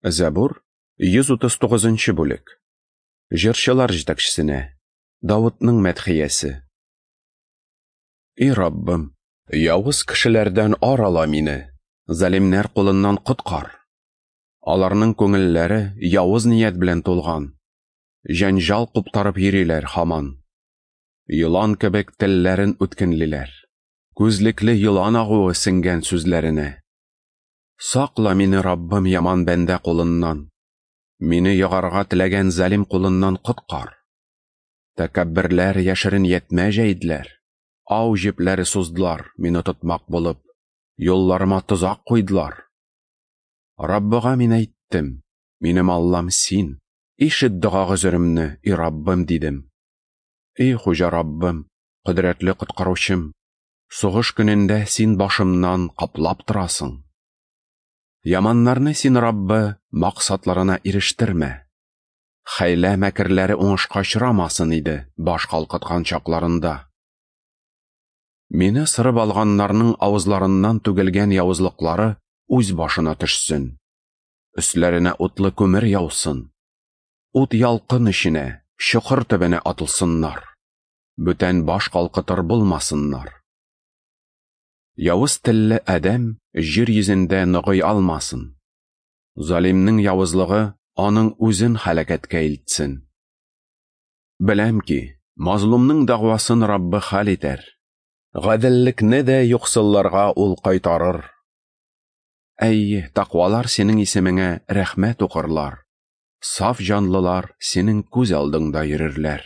Зәбур, 139 бүлек. Җырчылар җитәкчесенә. Давытның мәдхиясе. И Раббым, явыз кешеләрдән арала мине, залимнәр кулыннан коткар. Аларның күңелләре явыз ният белән тулган. Җәнҗал куптарып йөриләр һаман. Елан кебек телләрен үткенлиләр. Күзлекле елан агуы сеңгән сүзләренә. Сакла мине, Раббым, яман бәндә кулыннан. Мине ягарга теләгән залим кулыннан коткар. Тәкәбберләр яшерен ятмә җәйделәр. Ау җепләре суздылар, мине тотмак булып. Юлларыма тозак куйдылар. Раббыга мин әйттем, минем Аллам син, ишет дога гозеремне, и Раббым, дидем. И Хуҗа Раббым, кодрәтле коткаручым, сугыш көнендә син башымнан каплап торасың. Яманнарны син, Раббы, максатларына ирештермә. Хәйлә мәкерләре уңышка очрамасын иде баш калкыткан чакларында. Мине сырып алганнарның авызларыннан түгелгән явызлыклары үз башына төшсен. Өсләренә утлы күмер яусын. Ут ялкын эченә, чокыр төбенә атылсыннар. Бүтән баш калкытыр булмасыннар. Явыз телле адәм җир йөзендә ныгый алмасын. Залимнең явызлыгы аның үзен һәлакәткә илтсен. Беләм ки, мазлумның дәгъвасын Раббы хәл итәр. Гаделлекне дә юксылларга ул кайтарыр. Әй, тәкъвалар синең исемеңә рәхмәт укырлар. Саф җанлылар синең күз алдыңда йөрерләр.